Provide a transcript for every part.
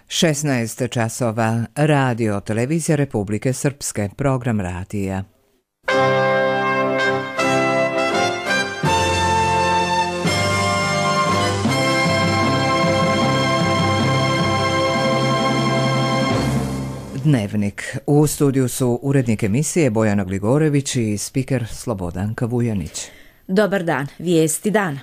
16 časova, Radio Televizija Republike Srpske, program radija. Dnevnik. U studiju su urednik emisije Bojana Gligorević i spiker Slobodanka Vujanić. Dobar dan, vijesti dana.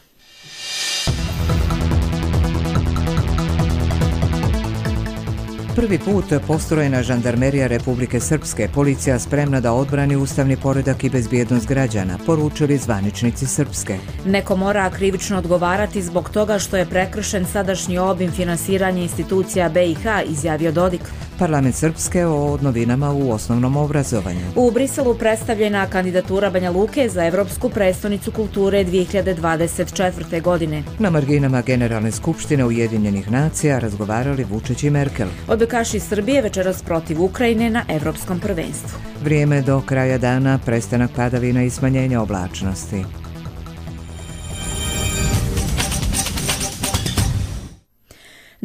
Prvi put postrojena žandarmerija Republike Srpske, policija spremna da odbrani ustavni poredak i bezbjednost građana, poručili zvaničnici Srpske. Neko mora krivično odgovarati zbog toga što je prekršen sadašnji obim finansiranja institucija BiH, izjavio Dodik. Parlament Srpske o novinama u osnovnom obrazovanju. U Briselu predstavljena kandidatura Banja Luke za Evropsku prestonicu kulture 2024. godine. Na marginama Generalne skupštine Ujedinjenih nacija razgovarali Vučić i Merkel. Odbojkaši Srbije večeras protiv Ukrajine na Evropskom prvenstvu. Vrijeme do kraja dana, prestanak padavina i smanjenje oblačnosti.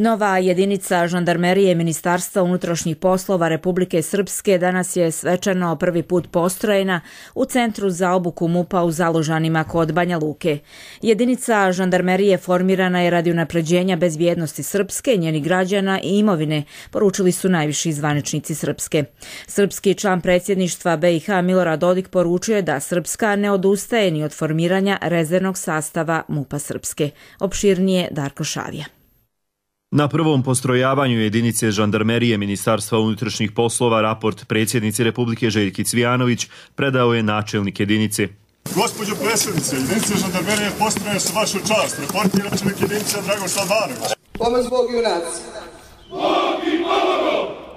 Nova jedinica žandarmerije Ministarstva unutrašnjih poslova Republike Srpske danas je svečano prvi put postrojena u Centru za obuku MUP-a u Zalužanima kod Banja Luke. Jedinica žandarmerije formirana je radi unapređenja bezbjednosti Srpske, njenih građana i imovine, poručili su najviši zvaničnici Srpske. Srpski član predsjedništva BiH Milorad Dodik poručio je da Srpska ne odustaje ni od formiranja rezervnog sastava MUP-a Srpske. Opširnije Darko Šavija. Na prvom postrojavanju jedinice žandarmerije Ministarstva unutrašnjih poslova raport predsjednici Republike Željki Cvijanović predao je načelnik jedinice. Gospođo predsjednice, jedinice žandarmerije postrojene su vašu čast. Reportira načelnik jedinice Dragoslav Banović. Pomoć Bog junaci. Bog i pomogao!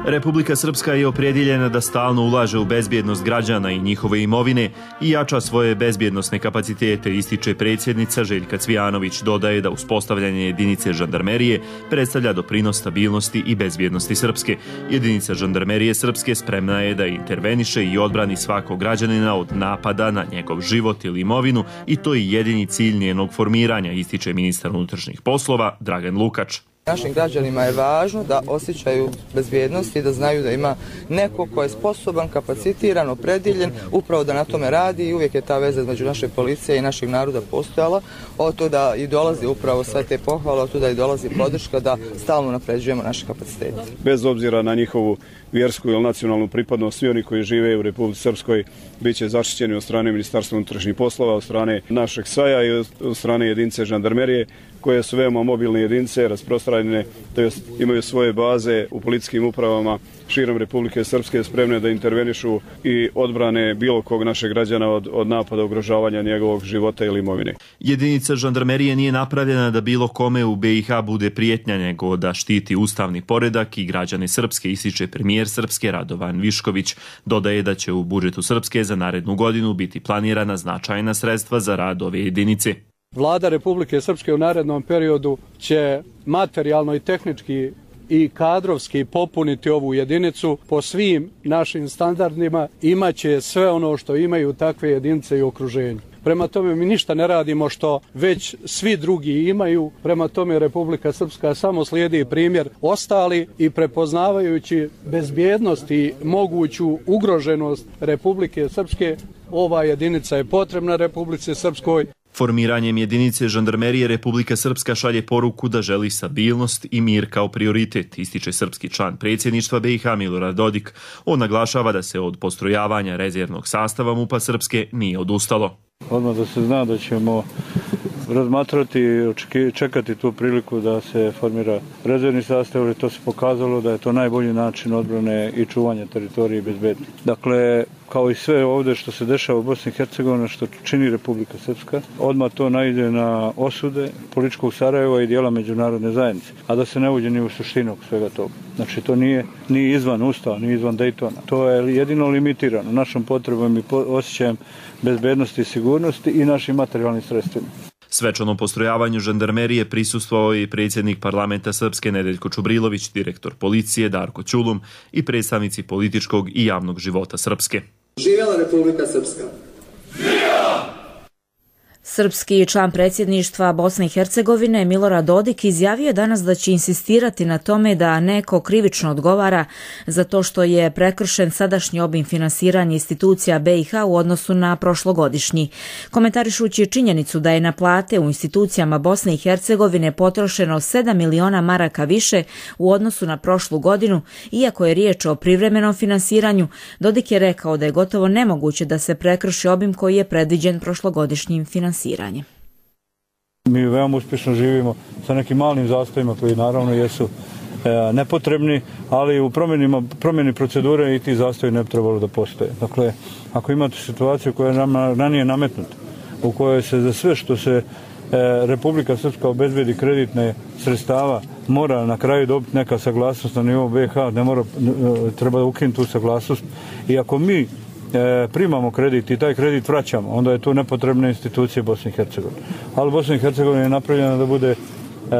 Republika Srpska je opredjeljena da stalno ulaže u bezbjednost građana i njihove imovine i jača svoje bezbjednosne kapacitete, ističe predsjednica Željka Cvijanović. Dodaje da uspostavljanje jedinice žandarmerije predstavlja doprinos stabilnosti i bezbjednosti Srpske. Jedinica žandarmerije Srpske spremna je da interveniše i odbrani svakog građanina od napada na njegov život ili imovinu i to je jedini cilj njenog formiranja, ističe ministar unutrašnjih poslova Dragan Lukač. Našim građanima je važno da osjećaju bezbjednost i da znaju da ima neko ko je sposoban, kapacitiran, opredjeljen, upravo da na tome radi i uvijek je ta veza između naše policije i našeg naroda postojala. Od to da i dolazi upravo sve te pohvale, od to da i dolazi podrška da stalno napređujemo naše kapacitete. Bez obzira na njihovu vjersku ili nacionalnu pripadnost, svi oni koji žive u Republici Srpskoj bit će zaštićeni od strane Ministarstva unutrašnjih poslova, od strane našeg SAJ-a i od strane jedinice žandarmerije, koje su veoma mobilne jedinice, rasprostranjene, tj. imaju svoje baze u policijskim upravama širom Republike Srpske, spremne da intervenišu i odbrane bilo kog našeg građana od napada, ugrožavanja njegovog života ili imovine. Jedinica žandarmerije nije napravljena da bilo kome u BiH bude prijetnja, nego da štiti ustavni poredak i građane Srpske, ističe premijer Srpske Radovan Višković. Dodaje da će u budžetu Srpske za narednu godinu biti planirana značajna sredstva za rad ove jedinice. Vlada Republike Srpske u narednom periodu će materijalno i tehnički i kadrovski popuniti ovu jedinicu po svim našim standardima, imaće sve ono što imaju takve jedinice i okruženju. Prema tome mi ništa ne radimo što već svi drugi imaju, prema tome Republika Srpska samo slijedi primjer ostali i prepoznavajući bezbjednost i moguću ugroženost Republike Srpske, ova jedinica je potrebna Republici Srpskoj. Formiranjem jedinice žandarmerije Republika Srpska šalje poruku da želi stabilnost i mir kao prioritet, ističe srpski član predsjedništva BiH Milorad Dodik. On naglašava da se od postrojavanja rezervnog sastava MUP-a Srpske nije odustalo. Odmah da se zna da ćemo razmatrati i čekati tu priliku da se formira rezervni sastav, jer to se pokazalo da je to najbolji način odbrane i čuvanja teritorije i bezbednosti. Dakle, kao i sve ovdje što se dešava u Bosni i Hercegovini, što čini Republika Srpska, odmah to naiđe na osude političkog Sarajeva i dijela međunarodne zajednice, a da se ne uđe ni u suštinu svega toga. Znači, to nije ni izvan Ustava, ni izvan Dejtona. To je jedino limitirano našom potrebom i osjećajem bezbednosti i sigurnosti i našim materijalnim sredstvima. Svečanom postrojavanju žandarmerije prisustvovao je i predsjednik parlamenta Srpske Nedeljko Čubrilović, direktor policije Darko Ćulum i predstavnici političkog i javnog života Srpske. Živjela Republika Srpska! Srpski član predsjedništva Bosne i Hercegovine Milorad Dodik izjavio je danas da će insistirati na tome da neko krivično odgovara za to što je prekršen sadašnji obim finansiranja institucija BiH u odnosu na prošlogodišnji. Komentarišući činjenicu da je na plate u institucijama Bosne i Hercegovine potrošeno 7 miliona maraka više u odnosu na prošlu godinu, iako je riječ o privremenom finansiranju, Dodik je rekao da je gotovo nemoguće da se prekrši obim koji je predviđen prošlogodišnjim finansiranjem. Mi veoma uspješno živimo sa nekim malim zastojima koji naravno jesu nepotrebni, ali u promjeni procedure i ti zastoji ne bi trebalo da postoje. Dakle, ako imate situaciju koja je ranije nametnuta, u kojoj se za sve što se Republika Srpska obezbedi kreditne sredstava mora na kraju dobiti neka saglasnost na nivou BiH, treba da ukinuti tu saglasnost. I ako mi primamo kredit i taj kredit vraćamo, onda je to nepotrebne institucije Bosne i Hercegovine. Ali Bosna i Hercegovina je napravljena da bude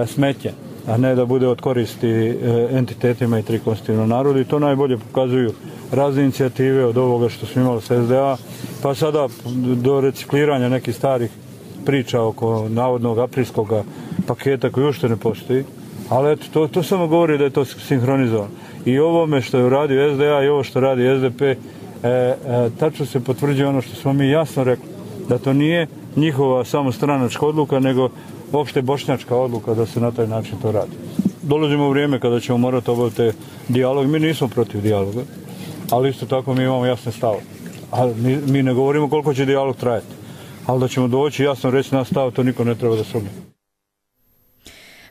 smeće, a ne da bude od koristi entitetima i tri konstitutivnog naroda, i to najbolje pokazuju razne inicijative od ovoga što smo imali sa SDA, pa sada do recikliranja nekih starih priča oko navodnog aprilskog paketa koji uopšte ne postoji, ali eto, to samo govori da je to sinhronizovano. I ovome što je uradio SDA i ovo što radi SDP, tačno se potvrđuje ono što smo mi jasno rekli, da to nije njihova samo stranačka odluka, nego opšte bošnjačka odluka da se na taj način to radi. Dolazimo u vrijeme kada ćemo morati obaviti dijalog. Mi nismo protiv dijaloga, ali isto tako mi imamo jasne stave. Mi ne govorimo koliko će dijalog trajati, ali da ćemo doći jasno reći naš stav, to niko ne treba da sumnja.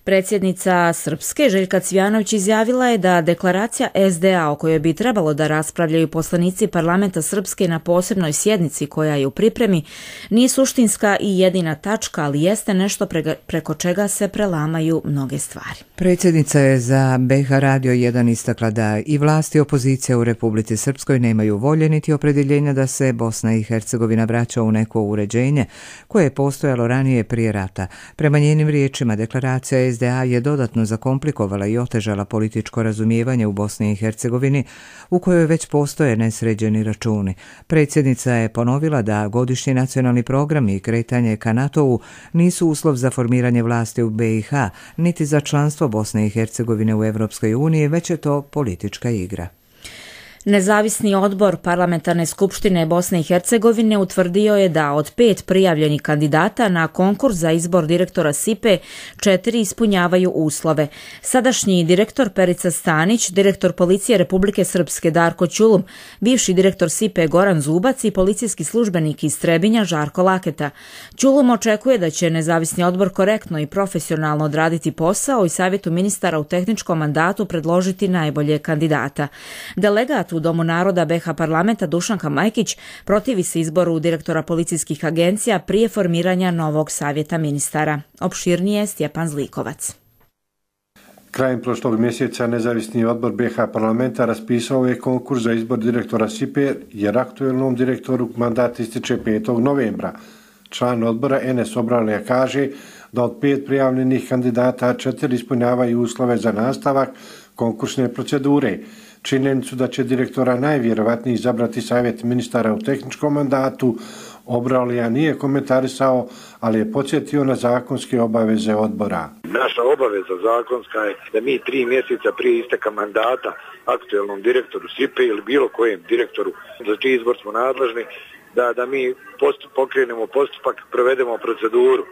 Predsjednica Srpske Željka Cvijanović izjavila je da deklaracija SDA o kojoj bi trebalo da raspravljaju poslanici parlamenta Srpske na posebnoj sjednici koja je u pripremi nije suštinska i jedina tačka, ali jeste nešto preko čega se prelamaju mnoge stvari. Predsjednica je za BiH Radio 1 istakla da i vlasti i opozicija u Republici Srpskoj nemaju volje niti opredjeljenja da se Bosna i Hercegovina vraća u neko uređenje koje je postojalo ranije prije rata. Prema njenim riječima, deklaracija SDA je dodatno zakomplikovala i otežala političko razumijevanje u Bosni i Hercegovini, u kojoj već postoje nesređeni računi. Predsjednica je ponovila da godišnji nacionalni programi i kretanje ka NATO-u nisu uslov za formiranje vlasti u BiH, niti za članstvo Bosne i Hercegovine u Europskoj uniji, već je to politička igra. Nezavisni odbor Parlamentarne skupštine Bosne i Hercegovine utvrdio je da od 5 prijavljenih kandidata na konkurs za izbor direktora SIPE 4 ispunjavaju uslove. Sadašnji direktor Perica Stanić, direktor Policije Republike Srpske Darko Ćulum, bivši direktor SIPE Goran Zubac i policijski službenik iz Trebinja Žarko Laketa. Ćulum očekuje da će nezavisni odbor korektno i profesionalno odraditi posao i savjetu ministara u tehničkom mandatu predložiti najbolje kandidata. Delegat u Domu naroda BiH parlamenta Dušanka Majkić protivi se izboru direktora policijskih agencija prije formiranja novog savjeta ministara. Opširnije Stjepan Zlikovac. Krajem prošlog mjeseca nezavisni odbor BiH parlamenta raspisao je konkurs za izbor direktora SIPE jer aktuelnom direktoru mandat ističe 5. novembra. Član odbora Enes Obralija kaže da od 5 prijavljenih kandidata 4 ispunjavaju uslove za nastavak konkursne procedure. Činjenicu da će direktora najvjerovatnije izabrati savjet ministara u tehničkom mandatu Obralija nije komentarisao, ali je podsjetio na zakonske obaveze odbora. Naša obaveza zakonska je da mi 3 mjeseca prije isteka mandata aktuelnom direktoru SIPE ili bilo kojem direktoru za čiji izbor smo nadležni, da mi pokrenemo postupak, provedemo proceduru.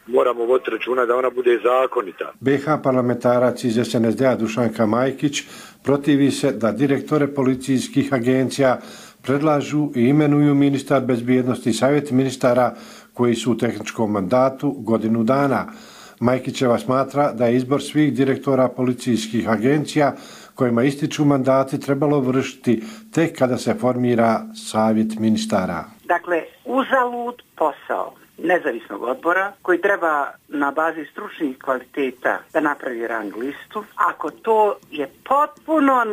Moramo voditi računa da ona bude zakonita. BiH parlamentarac iz SNSD-a Dušanka Majkić protivi se da direktore policijskih agencija predlažu i imenuju ministar bezbjednosti i savjet ministara koji su u tehničkom mandatu godinu dana. Majkićeva smatra da je izbor svih direktora policijskih agencija kojima ističu mandati trebalo vršiti tek kada se formira savjet ministara. Dakle, uzalud posao nezavisnog odbora koji treba na bazi stručnih kvaliteta da napravi rang listu, ako to je potpuno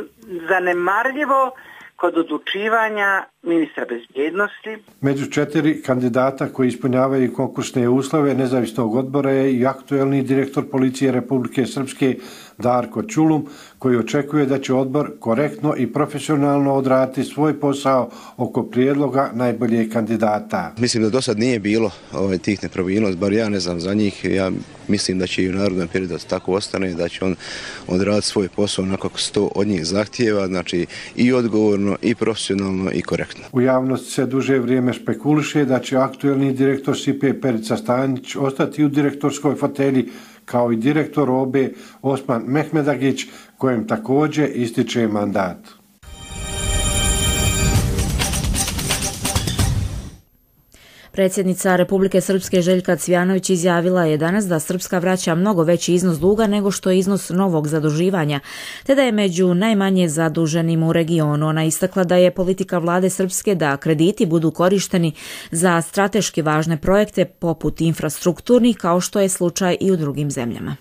zanemarljivo kod odlučivanja ministra bezbjednosti. Među 4 kandidata koji ispunjavaju konkursne uslove nezavisnog odbora je i aktuelni direktor Policije Republike Srpske Darko Čulum, koji očekuje da će odbor korektno i profesionalno odraditi svoj posao oko prijedloga najboljeg kandidata. Mislim da do sad nije bilo tih nepravilnosti, bar ja ne znam za njih. Ja mislim da će i u narednom periodu tako ostane, da će on odraditi svoj posao onako kako se to od njih zahtijeva, znači i odgovorno, i profesionalno, i korektno. U javnosti se duže vrijeme špekuliše da će aktuelni direktor SIPE Perica Stanjić ostati u direktorskoj fotelji, kao i direktor OBE Osman Mehmedagić, kojem također ističe mandat. Predsjednica Republike Srpske Željka Cvijanović izjavila je danas da Srpska vraća mnogo veći iznos duga nego što je iznos novog zaduživanja, te da je među najmanje zaduženim u regionu. Ona istakla da je politika vlade Srpske da krediti budu korišteni za strateški važne projekte poput infrastrukturnih, kao što je slučaj i u drugim zemljama.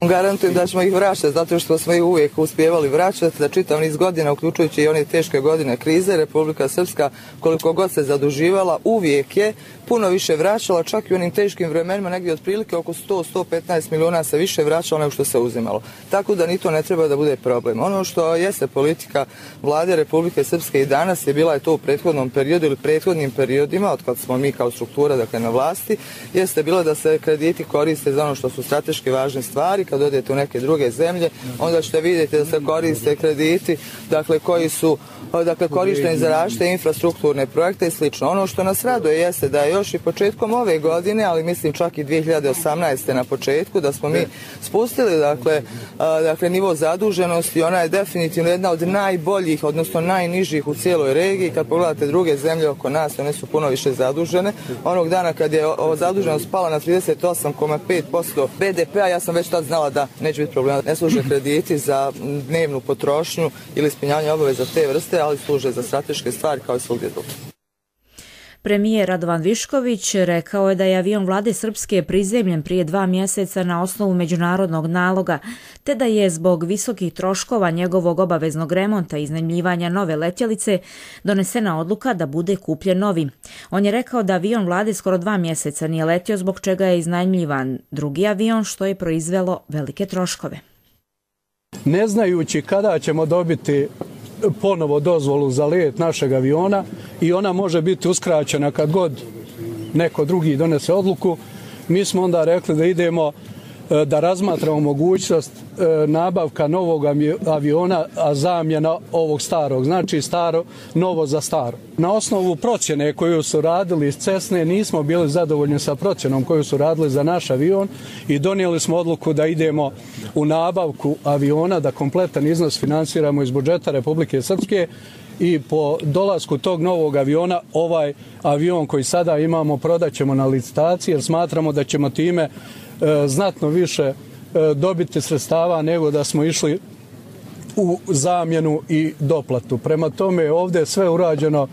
Garantujem da ćemo ih vraćati, zato što smo ih uvijek uspjevali vraćati za čitav niz godina, uključujući i one teške godine krize. Republika Srpska, koliko god se zaduživala, uvijek je puno više vraćala, čak i u onim teškim vremenima, negdje otprilike oko 100-115 milijuna se više vraćalo nego što se uzimalo. Tako da ni to ne treba da bude problem. Ono što jeste politika vlade Republike Srpske i danas je bila je to u prethodnom periodu ili prethodnim periodima, od kad smo mi kao struktura na vlasti, jeste bilo da se krediti koriste za ono što su strateški važne stvari. Kad odete u neke druge zemlje, onda ćete vidjeti da se koriste krediti, koji su korišteni za različite infrastrukturne projekte i slično. Ono što nas raduje jeste da je još i početkom ove godine, ali mislim čak i 2018. na početku, da smo mi spustili nivo zaduženosti. Ona je definitivno jedna od najboljih, odnosno najnižih u cijeloj regiji. Kad pogledate druge zemlje oko nas, one su puno više zadužene. Onog dana kad je zaduženost spala na 38,5% BDP-a, ja sam već tad znala da neće biti problema. Ne služe krediti za dnevnu potrošnju ili ispunjavanje obaveza te vrste, ali služe za strateške stvari kao i svugdje drugdje. Premijer Radovan Višković rekao je da je avion vlade Srpske prizemljen prije 2 mjeseca na osnovu međunarodnog naloga, te da je zbog visokih troškova njegovog obaveznog remonta i iznajmljivanja nove letjelice donesena odluka da bude kupljen novi. On je rekao da avion vlade skoro 2 mjeseca nije letio, zbog čega je iznajmljivan drugi avion, što je proizvelo velike troškove. Ne znajući kada ćemo dobiti ponovo dozvolu za let našeg aviona i ona može biti uskraćena kad god neko drugi donese odluku, mi smo onda rekli da idemo da razmatramo mogućnost nabavka novog aviona, a zamjena ovog starog. Znači novo za staro. Na osnovu procjene koju su radili iz Cessne nismo bili zadovoljni sa procjenom koju su radili za naš avion i donijeli smo odluku da idemo u nabavku aviona, da kompletan iznos finansiramo iz budžeta Republike Srpske i po dolasku tog novog aviona ovaj avion koji sada imamo prodat ćemo na licitaciji jer smatramo da ćemo time znatno više dobiti sredstava nego da smo išli u zamjenu i doplatu. Prema tome ovdje je sve urađeno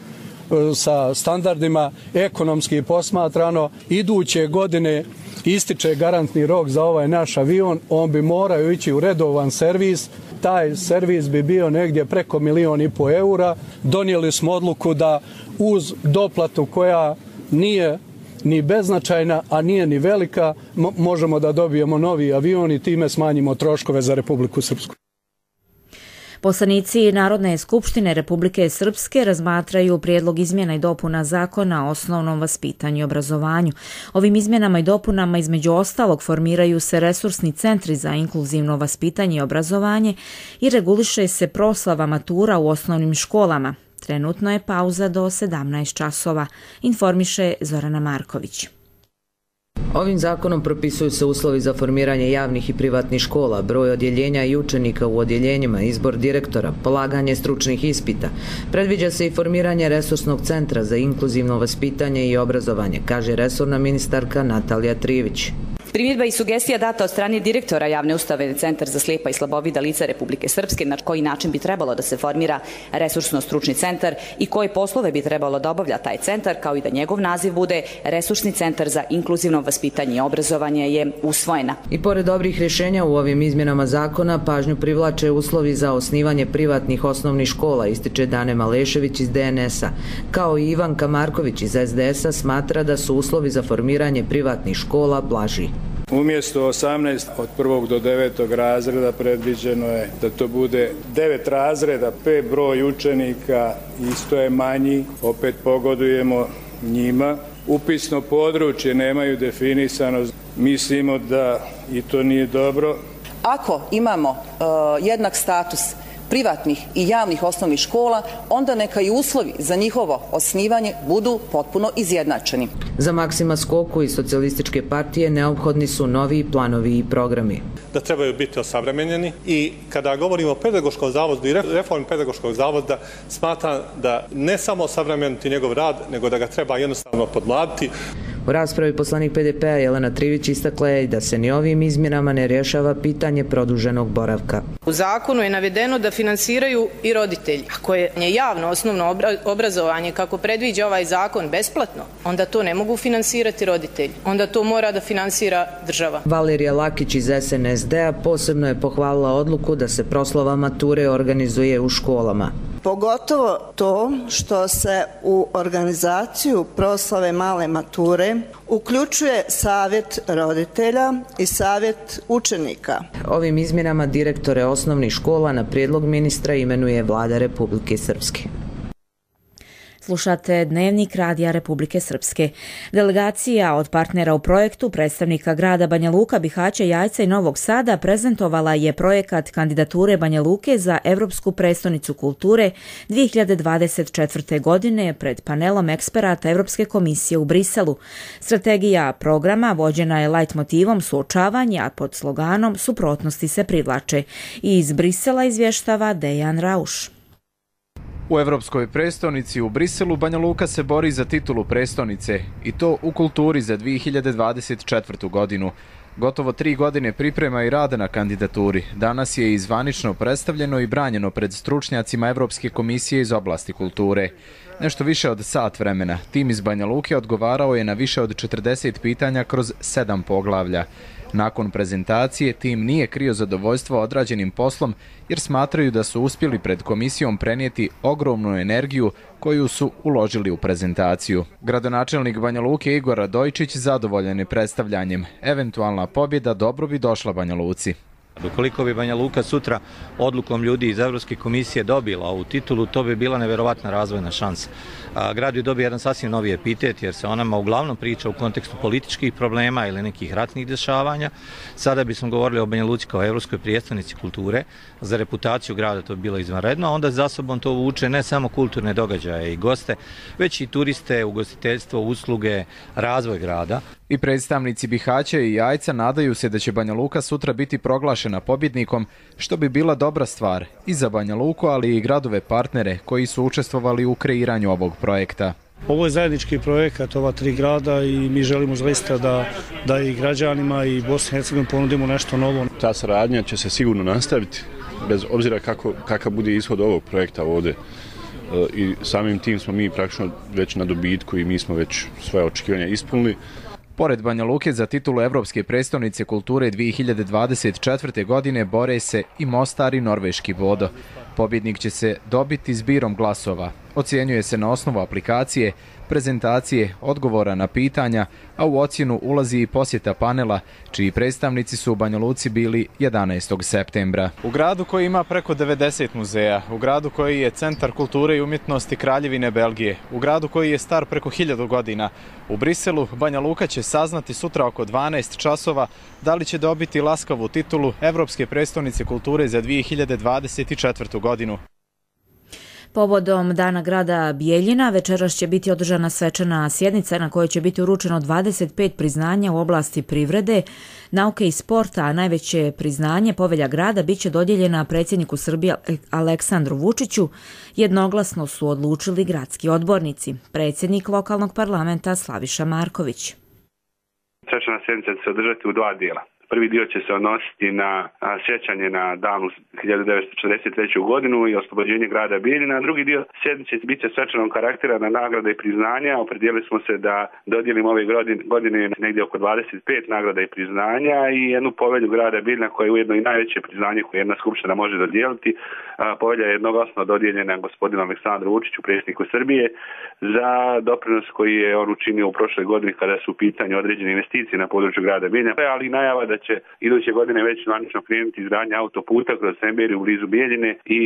sa standardima, ekonomski posmatrano. Iduće godine ističe garantni rok za ovaj naš avion, on bi morao ići u redovan servis. Taj servis bi bio negdje preko 1,5 miliona eura. Donijeli smo odluku da uz doplatu koja nije ni beznačajna, a nije ni velika, možemo da dobijemo novi avion i time smanjimo troškove za Republiku Srpsku. Poslanici Narodne skupštine Republike Srpske razmatraju prijedlog izmjena i dopuna Zakona o osnovnom vaspitanju i obrazovanju. Ovim izmjenama i dopunama između ostalog formiraju se resursni centri za inkluzivno vaspitanje i obrazovanje i reguliše se proslava matura u osnovnim školama. Trenutno je pauza do 17 časova, informiše Zorana Marković. Ovim zakonom propisuju se uslovi za formiranje javnih i privatnih škola, broj odjeljenja i učenika u odjeljenjima, izbor direktora, polaganje stručnih ispita. Predviđa se i formiranje resursnog centra za inkluzivno vaspitanje i obrazovanje, kaže resorna ministarka Natalija Trivić. Primjedba i sugestija data od strane direktora javne ustanove Centar za slijepa i slabovida lica Republike Srpske na koji način bi trebalo da se formira resursno-stručni centar i koje poslove bi trebalo da obavlja taj centar, kao i da njegov naziv bude Resursni centar za inkluzivno vaspitanje i obrazovanje je usvojena. I pored dobrih rješenja u ovim izmjenama zakona, pažnju privlače uslovi za osnivanje privatnih osnovnih škola, ističe Dane Malešević iz DNS-a. Kao i Ivanka Marković iz SDS-a smatra da su uslovi za formiranje privatnih škola blaži. Umjesto 18 od 1. do 9. razreda predviđeno je da to bude 9 razreda, 5 broj učenika isto je manji, opet pogodujemo njima. Upisno područje nemaju definisano, mislimo da i to nije dobro. Ako imamo jednak status privatnih i javnih osnovnih škola, onda neka i uslovi za njihovo osnivanje budu potpuno izjednačeni. Za Maksima Skoku iz Socijalističke partije neophodni su novi planovi i programi. Da trebaju biti osavremenjeni i kada govorimo o pedagoškom zavodu i reformi pedagoškog zavoda, smatram da ne samo osavremeniti njegov rad, nego da ga treba jednostavno podmladiti. U raspravi poslanik PDP-a Jelena Trivić istakla je da se ni ovim izmjenama ne rješava pitanje produženog boravka. U zakonu je navedeno da finansiraju i roditelji. Ako je javno osnovno obrazovanje, kako predviđa ovaj zakon, besplatno, onda to ne mogu finansirati roditelji. Onda to mora da finansira država. Valerija Lakić iz SNSD-a posebno je pohvalila odluku da se proslava mature organizuje u školama. Pogotovo to što se u organizaciju proslave male mature uključuje savjet roditelja i savjet učenika. Ovim izmjenama direktore osnovnih škola na prijedlog ministra imenuje Vlada Republike Srpske. Slušate Dnevnik Radija Republike Srpske. Delegacija od partnera u projektu, predstavnika grada Banja Luka, Bihaća, Jajca i Novog Sada prezentovala je projekat kandidature Banja Luke za Evropsku prestonicu kulture 2024. godine pred panelom eksperata Evropske komisije u Briselu. Strategija programa vođena je light motivom suočavanja pod sloganom Suprotnosti se privlače. I iz Brisela izvještava Dejan Rauš. U Evropskoj prestonici u Briselu Banja Luka se bori za titulu prestonice i to u kulturi za 2024. godinu. Gotovo 3 godine priprema i rada na kandidaturi. Danas je i zvanično predstavljeno i branjeno pred stručnjacima Evropske komisije iz oblasti kulture. Nešto više od sat vremena. Tim iz Banja Luke odgovarao je na više od 40 pitanja kroz 7 poglavlja. Nakon prezentacije, tim nije krio zadovoljstvo odrađenim poslom jer smatraju da su uspjeli pred komisijom prenijeti ogromnu energiju koju su uložili u prezentaciju. Gradonačelnik Banja Luke Igor Radojčić zadovoljan je predstavljanjem. Eventualna pobjeda dobro bi došla Banja Luci. Ukoliko bi Banja Luka sutra odlukom ljudi iz Evropske komisije dobila ovu titulu, to bi bila neverovatna razvojna šansa. Grad bi dobio jedan sasvim novi epitet jer se o nama uglavnom priča u kontekstu političkih problema ili nekih ratnih dešavanja. Sada bismo govorili o Banja Luci kao Evropskoj prijestolnici kulture. Za reputaciju grada to bi bilo izvanredno, a onda za sobom to vuče ne samo kulturne događaje i goste, već i turiste, ugostiteljstvo, usluge, razvoj grada. I predstavnici Bihaća i Jajca nadaju se da će Banja Luka sutra biti proglašena pobjednikom, što bi bila dobra stvar i za Banja Luku, ali i gradove partnere koji su učestvovali u kreiranju ovog projekta. Ovo je zajednički projekat ova 3 grada i mi želimo zaista da i građanima i Bosni i Hercegovini ponudimo nešto novo. Ta saradnja će se sigurno nastaviti, bez obzira kakav bude ishod ovog projekta ovdje. I samim tim smo mi praktično već na dobitku i mi smo već svoje očekivanja ispunili. Pored Banja Luke za titulu Evropske prestonice kulture 2024. godine bore se i Mostar i Norveški Bodo. Pobjednik će se dobiti zbirom glasova. Ocjenjuje se na osnovu aplikacije, prezentacije, odgovora na pitanja, a u ocjenu ulazi i posjeta panela, čiji predstavnici su u Banja Luci bili 11. septembra. U gradu koji ima preko 90 muzeja, u gradu koji je centar kulture i umjetnosti Kraljevine Belgije, u gradu koji je star preko 1000 godina, u Briselu Banja Luka će saznati sutra oko 12 časova da li će dobiti laskavu titulu Evropske prestonice kulture za 2024. godinu. Povodom Dana grada Bijeljina večeras će biti održana svečana sjednica na kojoj će biti uručeno 25 priznanja u oblasti privrede, nauke i sporta, a najveće priznanje Povelja grada biće dodijeljena predsjedniku Srbije Aleksandru Vučiću. Jednoglasno su odlučili gradski odbornici. Predsjednik lokalnog parlamenta Slaviša Marković. Svečana sjednica će se održati u 2 dijela. Prvi dio će se odnositi na sjećanje na davnu 1943. godinu i oslobođenje grada Bijeljina, a drugi dio sjednice bit će svečanog karaktera na nagrade i priznanja. Opredijelili smo se da dodijelimo ove godine negdje oko 25 nagrada i priznanja i jednu povelju grada Bijeljina koja je ujedno i najveće priznanje koje jedna skupština može dodijeliti. Povelja je jednoglasno dodijeljena gospodinu Aleksandru Vučiću, predsjedniku Srbije, za doprinos koji je on učinio u prošloj godini kada su u pitanju određene investicije na području grada Bijeljina, ali najava da će iduće godine već zvanično krenuti izgradnja autoputa kroz Semberiju blizu Bijeljine i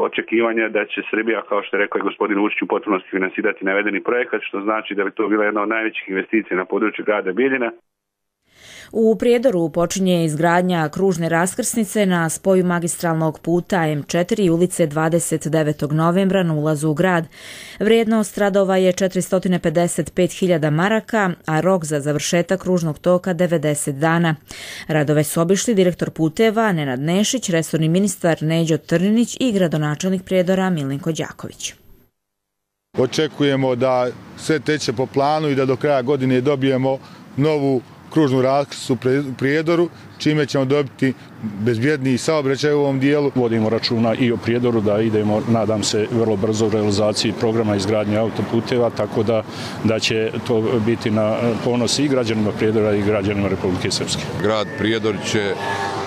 očekivanja da će Srbija, kao što je rekao i gospodin Vučić, u potpunosti finansirati navedeni projekat, što znači da bi to bila jedna od najvećih investicija na području grada Bijeljina. U Prijedoru počinje izgradnja kružne raskrsnice na spoju magistralnog puta M4 i ulice 29. novembra na ulazu u grad. Vrijednost radova je 455.000 maraka, a rok za završetak kružnog toka 90 dana. Radove su obišli direktor puteva Nenad Nešić, resorni ministar Neđo Trninić i gradonačelnik Prijedora Milenko Đaković. Očekujemo da sve teče po planu i da do kraja godine dobijemo novu kružnu raskrsnicu u Prijedoru, čime ćemo dobiti bezbjedniji saobraćaj u ovom dijelu. Vodimo računa i o Prijedoru da idemo, nadam se, vrlo brzo u realizaciji programa izgradnje autoputeva, tako da će to biti na ponos i građanima Prijedora i građanima Republike Srpske. Grad Prijedor će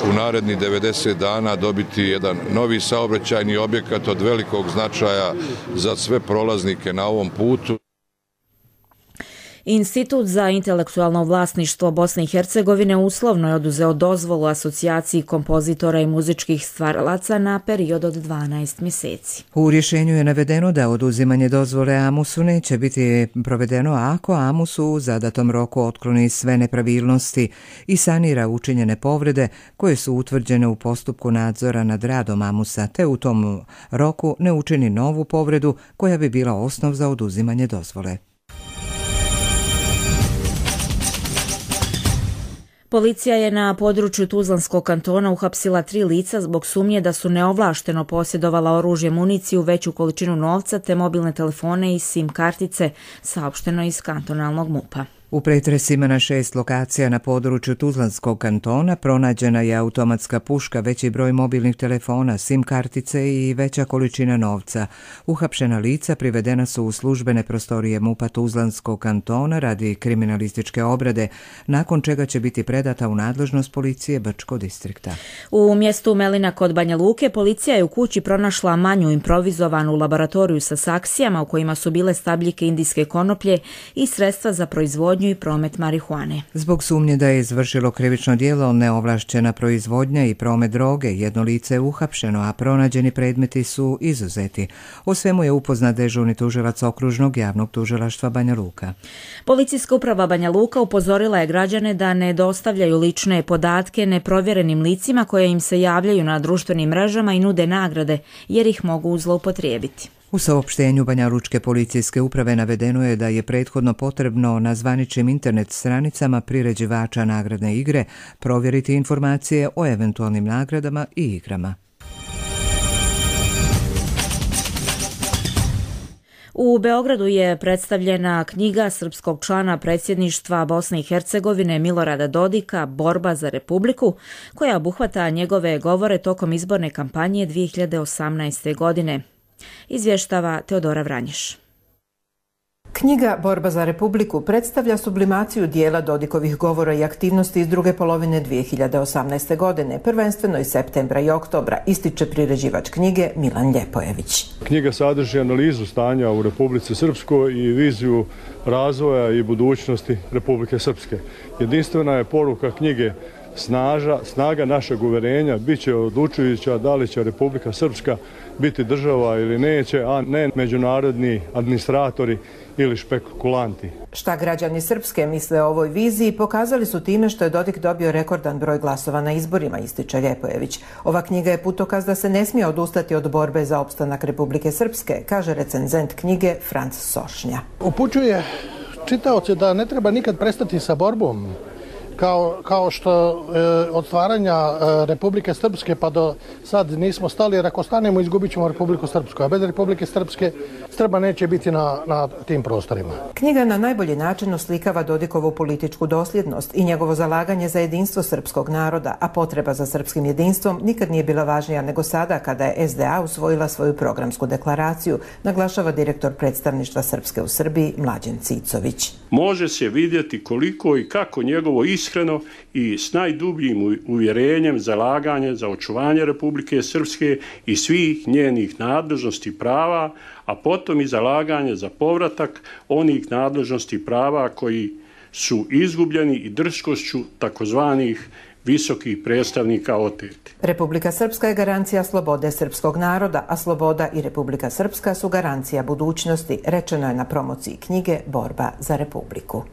u narednih 90 dana dobiti jedan novi saobraćajni objekat od velikog značaja za sve prolaznike na ovom putu. Institut za intelektualno vlasništvo Bosne i Hercegovine uslovno je oduzeo dozvolu asocijaciji kompozitora i muzičkih stvaralaca na period od 12 mjeseci. U rješenju je navedeno da oduzimanje dozvole Amusu neće biti provedeno ako Amus u zadatom roku otkloni sve nepravilnosti i sanira učinjene povrede koje su utvrđene u postupku nadzora nad radom Amusa, te u tom roku ne učini novu povredu koja bi bila osnov za oduzimanje dozvole. Policija je na području Tuzlanskog kantona uhapsila 3 lica zbog sumnje da su neovlašteno posjedovala oružje, municiju, veću količinu novca te mobilne telefone i SIM kartice, saopšteno iz kantonalnog MUP-a. U pretresima na 6 lokacija na području Tuzlanskog kantona pronađena je automatska puška, veći broj mobilnih telefona, SIM kartice i veća količina novca. Uhapšena lica privedena su u službene prostorije MUP-a Tuzlanskog kantona radi kriminalističke obrade, nakon čega će biti predata u nadležnost policije Brčkog distrikta. U mjestu Melina kod Banja Luke policija je u kući pronašla manju improvizovanu laboratoriju sa saksijama u kojima su bile stabljike indijske konoplje i sredstva za proizvodnju i promet marihuane. Zbog sumnje da je izvršilo krivično djelo neovlašćena proizvodnja i promet droge, jedno lice je uhapšeno, a pronađeni predmeti su izuzeti. O svemu je upoznat dežurni tužilac Okružnog javnog tužilaštva Banja Luka. Policijska uprava Banja Luka upozorila je građane da ne dostavljaju lične podatke neprovjerenim licima koje im se javljaju na društvenim mrežama i nude nagrade, jer ih mogu zloupotrijebiti. U saopštenju Banjalučke policijske uprave navedeno je da je prethodno potrebno na zvaničnim internet stranicama priređivača nagradne igre provjeriti informacije o eventualnim nagradama i igrama. U Beogradu je predstavljena knjiga srpskog člana predsjedništva Bosne i Hercegovine Milorada Dodika Borba za Republiku, koja obuhvata njegove govore tokom izborne kampanje 2018. godine. Izvještava Teodora Vranješ. Knjiga Borba za Republiku predstavlja sublimaciju dijela Dodikovih govora i aktivnosti iz druge polovine 2018. godine, prvenstveno iz septembra i oktobra, ističe priređivač knjige Milan Ljepojević. Knjiga sadrži analizu stanja u Republici Srpskoj i viziju razvoja i budućnosti Republike Srpske. Jedinstvena je poruka knjige snaga našeg uverenja bit će odlučujuća da li će Republika Srpska biti država ili neće, a ne međunarodni administratori ili špekulanti. Šta građani Srpske misle o ovoj viziji pokazali su time što je Dodik dobio rekordan broj glasova na izborima, ističe Ljepojević. Ova knjiga je putokaz da se ne smije odustati od borbe za opstanak Republike Srpske, kaže recenzent knjige Franc Sošnja. Upućuje čitaoce da ne treba nikad prestati sa borbom, kao što od stvaranja Republike Srpske pa do sad nismo stali, jer ako stanemo izgubit ćemo Republiku Srpsku, a bez Republike Srpske Srba neće biti na tim prostorima. Knjiga na najbolji način oslikava Dodikovu političku dosljednost i njegovo zalaganje za jedinstvo srpskog naroda, a potreba za srpskim jedinstvom nikad nije bila važnija nego sada kada je SDA usvojila svoju programsku deklaraciju, naglašava direktor predstavništva Srpske u Srbiji Mlađen Cicović. Može se vidjeti koliko i kako njegovo iskreno i s najdubljim uvjerenjem zalaganje za očuvanje Republike Srpske i svih njenih nadležnosti i prava, a potom i zalaganje za povratak onih nadležnosti i prava koji su izgubljeni i drskošću takozvanih visokih predstavnika oteti. Republika Srpska je garancija slobode srpskog naroda, a sloboda i Republika Srpska su garancija budućnosti, rečeno je na promociji knjige Borba za Republiku.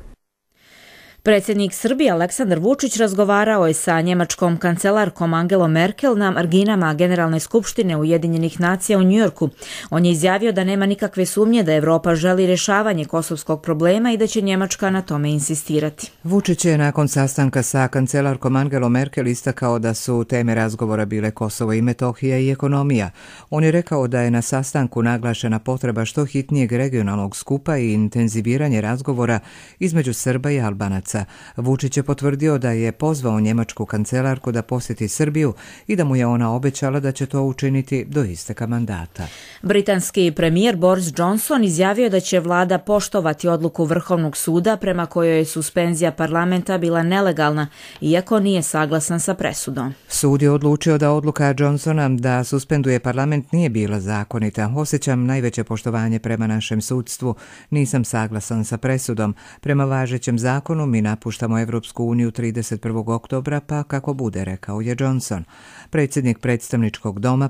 Predsjednik Srbije Aleksandar Vučić razgovarao je sa njemačkom kancelarkom Angelom Merkel na marginama Generalne skupštine Ujedinjenih nacija u Njujorku. On je izjavio da nema nikakve sumnje da Evropa želi rješavanje kosovskog problema i da će Njemačka na tome insistirati. Vučić je nakon sastanka sa kancelarkom Angelom Merkel istakao da su teme razgovora bile Kosovo i Metohija i ekonomija. On je rekao da je na sastanku naglašena potreba što hitnijeg regionalnog skupa i intenziviranje razgovora između Srba i Albanaca. Vučić je potvrdio da je pozvao njemačku kancelarku da posjeti Srbiju i da mu je ona obećala da će to učiniti do isteka mandata. Britanski premijer Boris Johnson izjavio da će vlada poštovati odluku Vrhovnog suda prema kojoj je suspenzija parlamenta bila nelegalna, iako nije saglasan sa presudom. Sud je odlučio da odluka Johnsona da suspenduje parlament nije bila zakonita. Osjećam najveće poštovanje prema našem sudstvu. Nisam saglasan sa presudom. Prema važećem zakonu mi napuštamo Evropsku uniju 31. oktobra, pa kako bude, rekao je Johnson. Predsjednik predstavničkog doma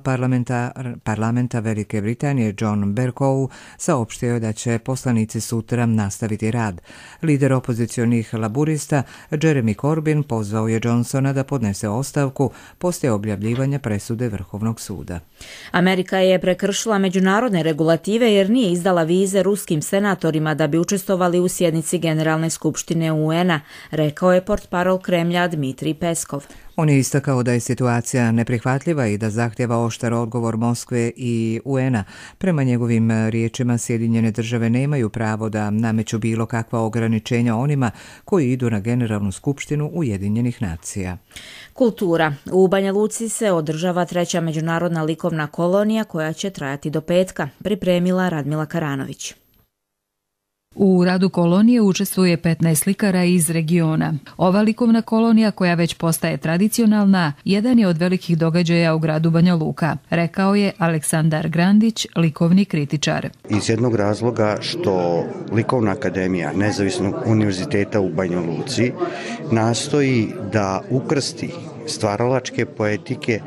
parlamenta Velike Britanije John Bercow saopštio je da će poslanici sutra nastaviti rad. Lider opozicionih laburista Jeremy Corbyn pozvao je Johnsona da podnese ostavku poslije objavljivanja presude Vrhovnog suda. Amerika je prekršila međunarodne regulative jer nije izdala vize ruskim senatorima da bi učestvovali u sjednici Generalne skupštine UN-a, rekao je portparol Kremlja Dmitrij Peskov. On je istakao da je situacija neprihvatljiva i da zahtjeva oštar odgovor Moskve i UN-a. Prema njegovim riječima, Sjedinjene države nemaju pravo da nameću bilo kakva ograničenja onima koji idu na Generalnu skupštinu Ujedinjenih nacija. Kultura. U Banja Luci se održava 3. međunarodna likovna kolonija koja će trajati do petka, pripremila Radmila Karanović. U radu kolonije učestvuje 15 slikara iz regiona. Ova likovna kolonija, koja već postaje tradicionalna, jedan je od velikih događaja u gradu Banja Luka, rekao je Aleksandar Grandić, likovni kritičar. Iz jednog razloga što Likovna akademija Nezavisnog univerziteta u Banja Luci nastoji da ukrsti stvaralačke poetike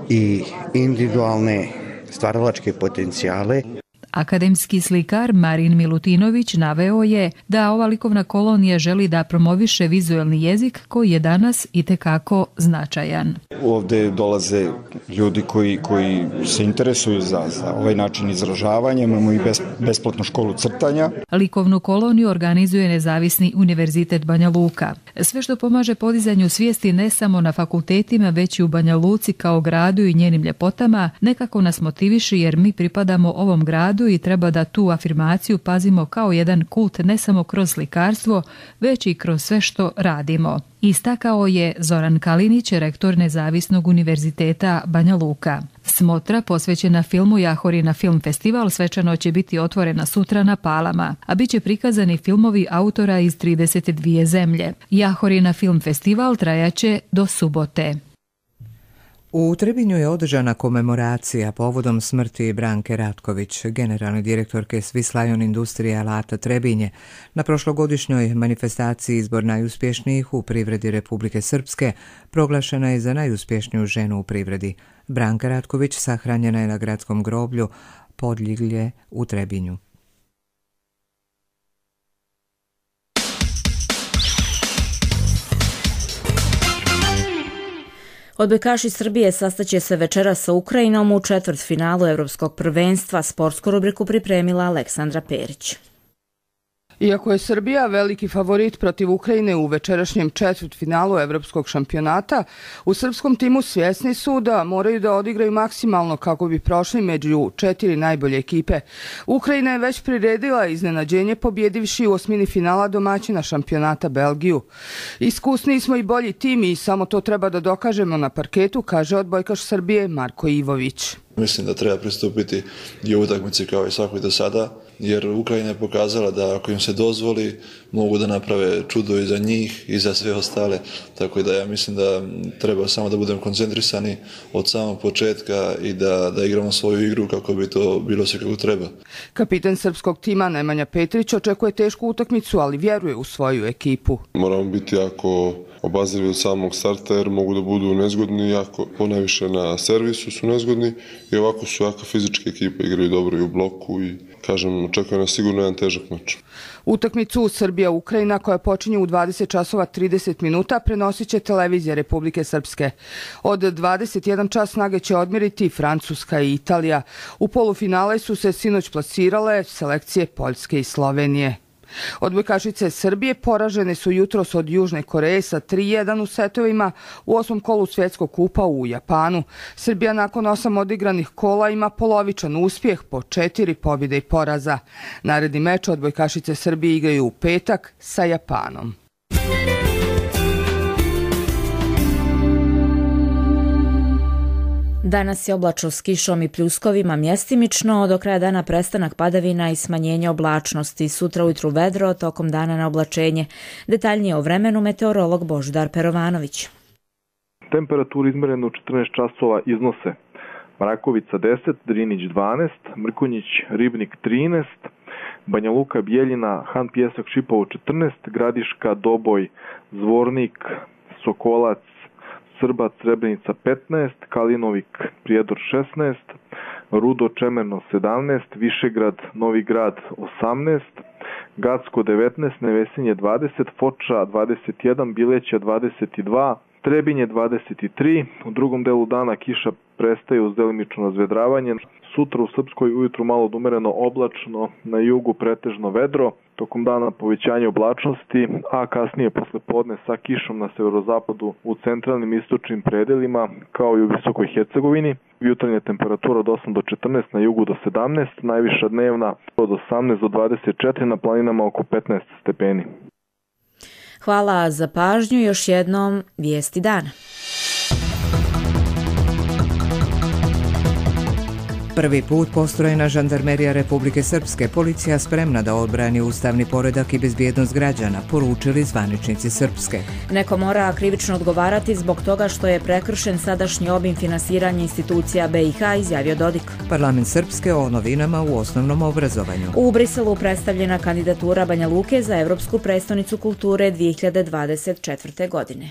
i individualne stvaralačke potencijale. Akademski slikar Marin Milutinović naveo je da ova likovna kolonija želi da promoviše vizuelni jezik koji je danas itekako značajan. Ovdje dolaze ljudi koji se interesuju za ovaj način izražavanja, imamo i besplatnu školu crtanja. Likovnu koloniju organizuje Nezavisni univerzitet Banja Luka. Sve što pomaže podizanju svijesti ne samo na fakultetima, već i u Banja Luci kao gradu i njenim ljepotama, nekako nas motiviše jer mi pripadamo ovom gradu i treba da tu afirmaciju pazimo kao jedan kult ne samo kroz slikarstvo, već i kroz sve što radimo. Istakao je Zoran Kalinić, rektor Nezavisnog univerziteta Banja Luka. Smotra posvećena filmu Jahorina film festival svečano će biti otvorena sutra na Palama, a bit će prikazani filmovi autora iz 32 zemlje. Jahorina film festival trajaće do subote. U Trebinju je održana komemoracija povodom smrti Branke Ratković, generalne direktorke Swiss Lion Industrije alata Trebinje. Na prošlogodišnjoj manifestaciji izbor najuspješnijih u privredi Republike Srpske proglašena je za najuspješniju ženu u privredi. Branka Ratković sahranjena je na gradskom groblju Podljiglje u Trebinju. Odbojkaši Srbije sastaće se večeras sa Ukrajinom u četvrtfinalu Evropskog prvenstva. Sportsku rubriku pripremila Aleksandra Perić. Iako je Srbija veliki favorit protiv Ukrajine u večerašnjem četvrtfinalu evropskog šampionata, u srpskom timu svjesni su da moraju da odigraju maksimalno kako bi prošli među 4 najbolje ekipe. Ukrajina je već priredila iznenađenje pobjedivši u osmini finala domaćina šampionata Belgiju. Iskusniji smo i bolji tim i samo to treba da dokažemo na parketu, kaže odbojkaš Srbije Marko Ivović. Mislim da treba pristupiti i u utakmici kao i svakoj do sada, jer Ukrajina je pokazala da ako im se dozvoli mogu da naprave čudo i za njih i za sve ostale, tako da ja mislim da treba samo da budemo koncentrisani od samog početka i da igramo svoju igru kako bi to bilo sve kako treba. Kapitan srpskog tima Nemanja Petrić očekuje tešku utakmicu, ali vjeruje u svoju ekipu. Moramo biti jako obazrivi od samog starta jer mogu da budu nezgodni, jako ponajviše na servisu su nezgodni i ovako su jaka fizička ekipa, igraju dobro i u bloku i kažem, očekuje nas sigurno jedan težak meč. Utakmicu Srbija-Ukrajina koja počinje u 20 časova 30 minuta prenosit će televizija Republike Srpske. Od 21 čas snage će odmiriti Francuska i Italija. U polufinale su se sinoć plasirale selekcije Poljske i Slovenije. Odbojkašice Srbije poražene su jutros od Južne Koreje sa 3:1 u setovima u 8. kolu svjetskog kupa u Japanu. Srbija nakon 8 odigranih kola ima polovičan uspjeh po 4 pobjede i poraza. Naredni meč odbojkašice Srbije igraju u petak sa Japanom. Danas je oblačno s kišom i pljuskovima mjestimično, do kraja dana prestanak padavina i smanjenje oblačnosti. Sutra ujutru vedro, tokom dana na oblačenje. Detaljnije o vremenu meteorolog Božidar Perovanović. Temperaturu izmerenu u 14 časova iznose Mrakovica 10, Drinić 12, Mrkonjić, Ribnik 13, Banja Luka, Bijeljina, Han Pjesak, Šipovo 14, Gradiška, Doboj, Zvornik, Sokolac, Srbac, Srebrenica 15, Kalinovik, Prijedor 16, Rudo, Čemerno 17, Višegrad, Novi Grad 18, Gacko 19, Nevesinje 20, Foča 21, Bileća 22, Trebinje 23, u drugom delu dana kiša prestaje uz delimično razvedravanje. Sutra u Srpskoj ujutru malo odumereno oblačno, na jugu pretežno vedro, tokom dana povećanje oblačnosti, a kasnije posle podne sa kišom na severozapadu u centralnim istočnim predelima, kao i u Visokoj Hercegovini. Jutarnja temperatura od 8 do 14, na jugu do 17, najviša dnevna od 18 do 24, na planinama oko 15 stepeni. Hvala za pažnju, još jednom vijesti dana. Prvi put postrojena žandarmerija Republike Srpske, policija spremna da odbrani ustavni poredak i bezbjednost građana, poručili zvaničnici Srpske. Neko mora krivično odgovarati zbog toga što je prekršen sadašnji obim finansiranja institucija BiH, izjavio Dodik. Parlament Srpske o novinama u osnovnom obrazovanju. U Briselu predstavljena kandidatura Banja Luke za Evropsku prestonicu kulture 2024. godine.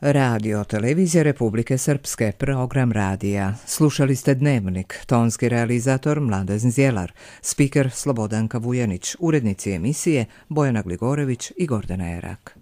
Radio Televizija Republike Srpske, program radija. Slušali ste Dnevnik, tonski realizator Mladen Zjelar, spiker Slobodanka Vujanić, urednici emisije Bojana Gligorević i Gordana Erak.